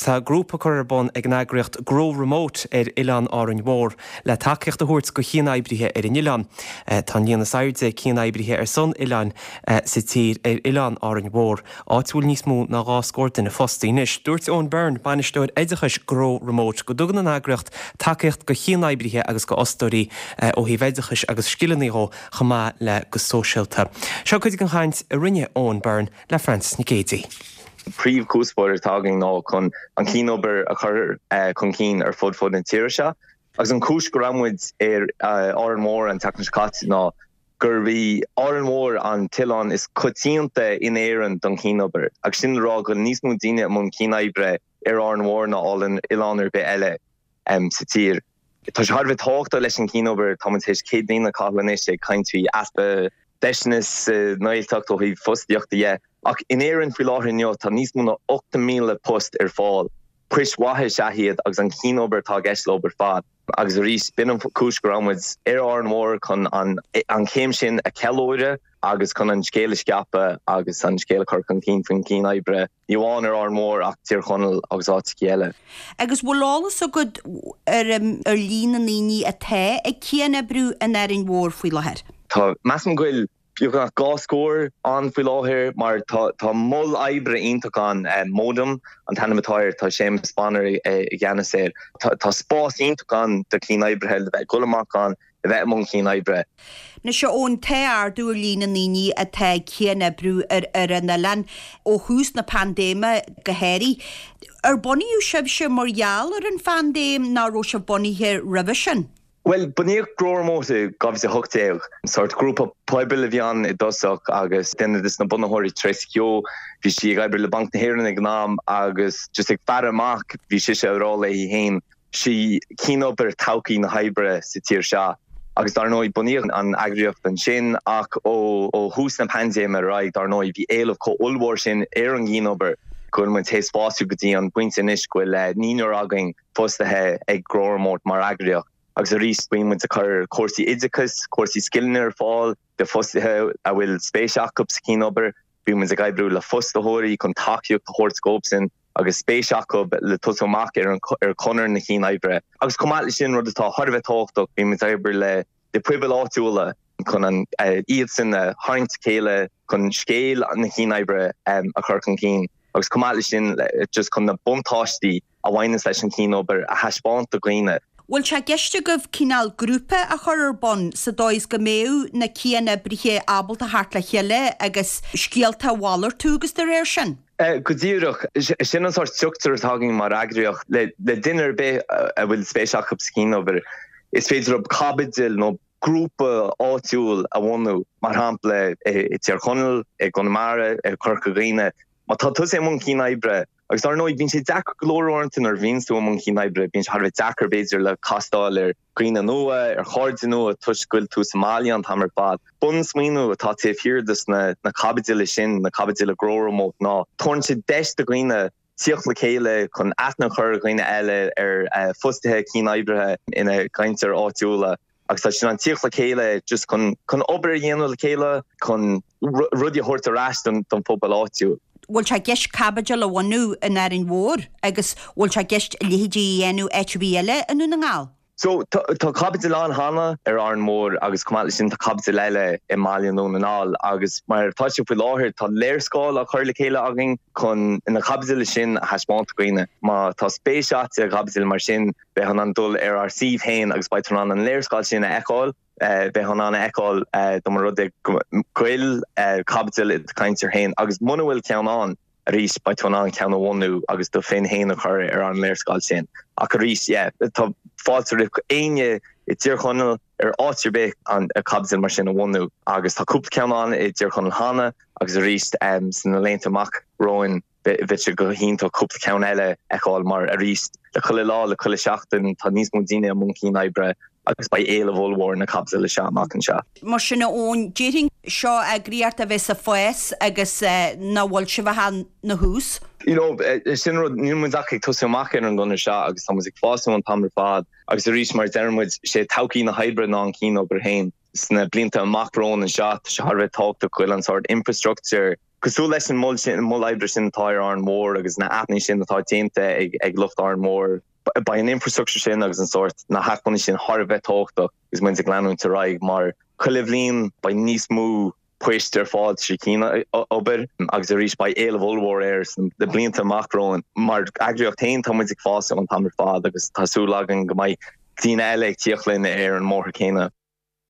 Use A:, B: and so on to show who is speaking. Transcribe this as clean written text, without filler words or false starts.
A: Tá grúpa curtha ar bun ag an eagraíocht Grow Remote ar Oileán Árainn Mhór le tacaíocht a thabhairt go chian-oibrithe ar an oileán. Tá an líon is airde cian-oibrithe ar son oileáin sa tír ar Oileán Árainn Mhór, áit a bhfuil níos mó ná 2 scór duine fostaí anois. Dúirt Eoin Byrne, Bainisteoir Oideachais Grow Remote, go dtugann an eagraíocht tacaíocht go chian-oibrithe agus go fhostóirí ó thaobh oideachais agus scileanna dhó chomh maith le go sóisialta. Seo cuid den chaint a rinne Eoin Byrne le Frances Nic Géadaigh.
B: Príomhchuspóir atá againn ná chun an chianobair a chur chun cinn ar fud fud na tíre seo agus an chúis go raibh muid ar Árainn Mhór an tseachtain seo caite ná gurb í Árainn Mhór an t-oileán is coitianta in Éirinn don chianobair agus sin le rá go bhfuil níos mó daoine i mbun cianoibre ar Árainn Mhór ná oileán ar bith eile sa tír. Tá sé thar a bheith tábhachtach leis an chianobair, tá muid tar éis 100 bliain a chaitheamh anois ag caint faoi easpa deiseanna sa nGaeltacht ó thaobh fostaíochta dhe, ach in Éirinn faoi láthair inniu tá níos mó ná 8,000 post ar fáil. Poist mhaithe is ea iad agus an chianobair atá i gceist leo ar fad. Agus arís, b'in an chúis go raibh muid ar Árainn Mhór chun an chéim sin a cheiliúradh agus chun an scéal a scaipeadh agus an scéal a chur chun cinn faoin chianoibre, ní amháin ar Árainn Mhór ach Tír Chonaill agus áiteachaí eile.
C: Agus bhfuil eolas agat ar ar líon na ndaoine atá ag cian-oibriú in Árainn Mhór faoi láthair?
B: Tá, measaim go bhfuil beagnach 20 ann faoi láthair mar tá mol oibre iontach ann, Modum an t-ainm atá air, tá Séamus Bonner i gceannas air. Tá spás iontach ann do chianoibrithe le bheith ag dul amach ann, a bheith i mbun cianoibre.
C: Anois a Eoin, tá ardú ar líon na ndaoine atá ag cian-oibriú ar ar an oileán ó thús na paindéime go háirithe. Ar bunaíodh sibhse mar gheall ar an phaindéim nó raibh sibh bunaithe roimhe sin?
B: Bhuel, bunaíodh Grow Remote i 2018. Sórt grúpa pobail a bhí ann i dtosach agus duine de na bunaitheoirí, Tracey Keogh, bhí sí ag oibriú le Banc na hÉireann ag an am agus just ag faire amach bhí sise ag rá léi féin, sí cianobair todhchaí na hoibre sa tír seo. Agus dar ndóigh bunaíodh an eagraíocht ansin ach ó thús na paindéime ar aghaidh dar ndóigh bhí éileamh chomh ollmhór sin ar an gcianobair go bhfuil muid théis fású go dtí an pointe anois go bhfuil naonúr againn fostaithe ag Grow Remote mar eagraíocht agus arís bíonn muid ag cur cúrsaí oideachais, cúrsaí scileanna ar fáil do fostaithe a bhfuil spéis acu sa chianobair. Bíonn muid ag oibriú le fostaitheoirí chun tacaíocht a thabhairt dóibhsean agus spéis acu le tosú amach ar ar chonair na cianoibre. Agus chomh maith leis sin, rud atá thar a bheith tábhachtach, bíonn muid ag obair le le pobail áitiúla chun an iadsan a tharraingt le chéile chun scéal na cianoibre a chur chun cinn agus chomh maith leis sin just chun na buntáistí a bhaineanns leis an chianobair a thaispeáint do dhaoine.
C: Bhfuil sé i gceist agaibh cineál grúpa a chur ar bun sa dóigh is go mbeadh na cian-oibrithe ábalta theacht le chéile agus scéalta a mhalartú agus dá réir sin?
B: Go díreach. Sin an sórt struchtúr atá againn mar eagraíocht. Le duine ar bith a bhfuil spéis acu sa chianobair, is féidir leo caibidil nó grúpa áitiúil a bhunú, mar shampla i dTír Chonaill, i gConamara, i Corca Dhuibhne. Má tá tusa i mbun cianoibre, agus dar ndóigh bíonn sé deacair go leor uaireanta nuair a bhíonns tú i mbun cianoibre, bíonn sé thar a bheith deacair b'fhéidir le castáil ar dhaoine nua, ar chairde nua toisc go bhfuil tú sa mbaile an t-am ar fad. Bunsmaoineamh atá taobh thiar de na caibidile sin, na caibidile Grow Remote, ná tabharann sé deis do dhaoine tíocht le chéile chun aithne a chur ar dhaoine eile, ar fostaithe cianoibrithe ina gceantair áitiúla agus tá siad in ann tíocht le chéile just chun chun obair a dhéanamh le chéile, chun rudaí a thabhairt ar ais don phobal áitiúil.
C: Bhfuil sé i gceist caibidil a bhunú in Árainn Mhór agus bhfuil sé i gceist a leithéidí a dhéanamh áit ar bith eile i nDún na nGall?
B: So, tá caibidil ann cheana ar Árainn Mhór agus chomh maith leis sin tá caibidil eile i mBaile Dhún na nGall agus mar atá sé faoi láthair tá léarscáil á chur le chéile againn chun na caibidile sin a thaispeáint do dhaoine. Má tá spéis agat i gcaibidil mar sin beidh in ann dul ar ár suíomh féin agus beidh tú in ann an léarscáil sin a fheiceáil. Beidh in ann a fheiceáil dá mba rud é go bhfuil caibidil i do cheantar féin agus muna bhfuil ceann ann, arís, beidh tú in ann ceann a bhunú agus do phinn féin a chur ar an léarscáil sin. Ach arís, yeah, tá fáilte roimh éinne i dTír Chonaill, ar áit ar bith, an caibidil mar sin a bhunú. Agus tá cúpla ceann ann i dTír Chonaill cheana agus arís, sna laethanta amach romhainn, bheadh sé go hiontach cúpla ceann eile a fheiceáil mar arís, le chuile lá, le chuile sheachtain, tá níos mó daoine i mbun cian-oibre agus beidh éileamh ollmhór ar na caibidile seo amach anseo.
C: Mar sin, a Eoin, déarfainn seo eagraíocht a bheas ag fás agus nach bhfuil sibh ach ina thús.
B: You know, sin rud, níl muid ach ag tosú amach ar an gconair seo agus tá muid ag fás an t-am ar fad agus arís mar a deir muid, sé todhchaí na hoibre ná an cian-obair féin. Sna blianta amach romhainn anseo, tá sé thar a bheith tábhachtach go bhfuil an sórt infrastructure. Cosúil leis an mol sin, an mol oibre sin atá ar Árainn Mhór agus na aipeanna sin atá déanta ag lucht Árainn Mhór, beidh an infrastructure sin agus an sórt, na hacmhainní sin thar a bheith tábhachtach agus muid ag leanúint ar aghaidh mar chuile bhliain beidh níos mó poist ar fáil trí chianobair agus arís beidh éileamh ollmhór air sna blianta amach romhainn. Mar eagraíocht féin tá muid ag fás an t-am ar fad agus tá súil againn go mbeidh daoine eile ag tíocht linn ar an mbóthar céanna.